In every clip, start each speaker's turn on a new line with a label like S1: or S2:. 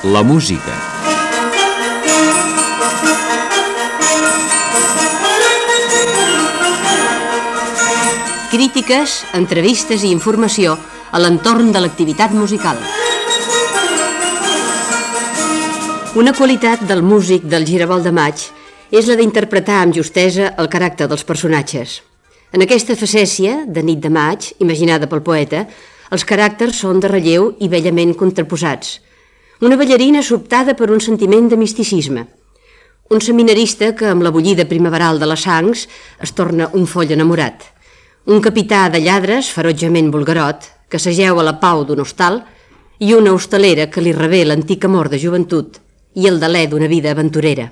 S1: La música.
S2: Crítiques, entrevistes i informació a l'entorn de l'activitat musical. Una qualitat del músic del Giravolt de Maig és la d'interpretar amb justesa el caràcter dels personatges. En aquesta facècia de nit de maig, imaginada pel poeta, els caràcters són de relleu i bellament contraposats. Una ballarina sobtada per un sentiment de misticisme. Un seminarista que, amb la bullida primaveral de les sangs, es torna un foll enamorat. Un capità de lladres, ferotgement vulgarot, que s'ajeu a la pau d'un hostal, i una hostalera que li rebé l'antic amor de joventut i el delè d'una vida aventurera.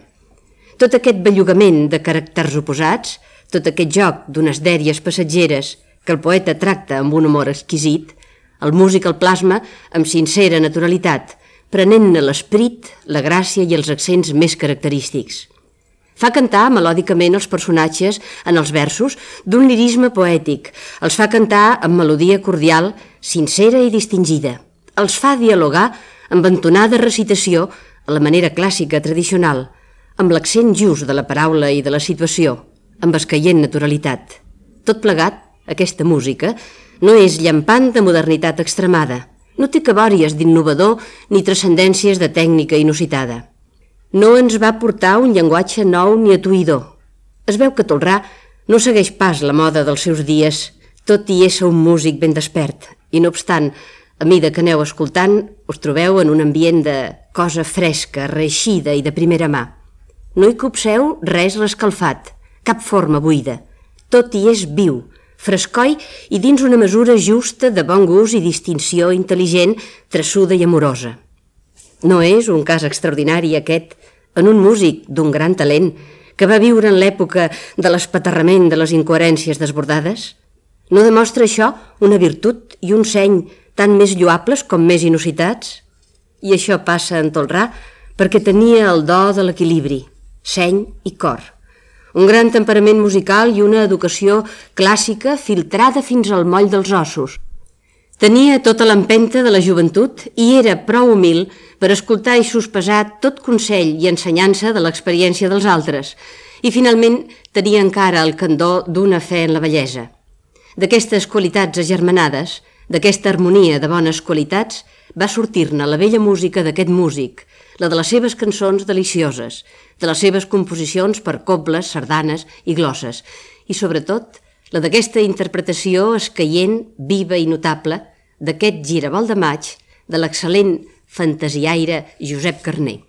S2: Tot aquest bellugament de caràcters oposats, tot aquest joc d'unes dèries passatgeres que el poeta tracta amb un humor exquisit, el músic el plasma amb sincera naturalitat, prenent-ne l'esperit, la gràcia i els accents més característics. Fa cantar melòdicament els personatges en els versos d'un lirisme poètic, els fa cantar amb melodia cordial, sincera i distingida, els fa dialogar amb entonada recitació a la manera clàssica tradicional, amb l'accent just de la paraula i de la situació, amb escaient naturalitat. Tot plegat, aquesta música, no és llampant de modernitat extremada, no té cabòries d'innovador ni transcendències de tècnica inusitada. No ens va portar un llenguatge nou ni atuïdor. Es veu que Tolrà no segueix pas la moda dels seus dies, tot i ésser un músic ben despert, i no obstant, a mida que aneu escoltant, us trobeu en un ambient de cosa fresca, reeixida i de primera mà. No hi copseu res rescalfat, cap forma buida. Tot hi és viu, frescoi i dins una mesura justa de bon gust i distinció intel·ligent, traçuda i amorosa. No és un cas extraordinari aquest en un músic d'un gran talent que va viure en l'època de l'espaterrament de les incoherències desbordades? No demostra això una virtut i un seny tant més lloables com més inusitats? I això passa en Tolrà perquè tenia el do de l'equilibri, seny i cor. Un gran temperament musical i una educació clàssica filtrada fins al moll dels ossos. Tenia tota l'empenta de la joventut i era prou humil per escoltar i sospesar tot consell i ensenyança de l'experiència dels altres, i finalment tenia encara el candor d'una fe en la bellesa. D'aquestes qualitats agermanades, d'aquesta harmonia de bones qualitats, va sortir-ne la bella música d'aquest músic, la de les seves cançons delicioses, de les seves composicions per cobles, sardanes i glosses, i sobretot la d'aquesta interpretació escaient, viva i notable d'aquest Giravolt de Maig de l'excel·lent fantasiaire Josep Carner.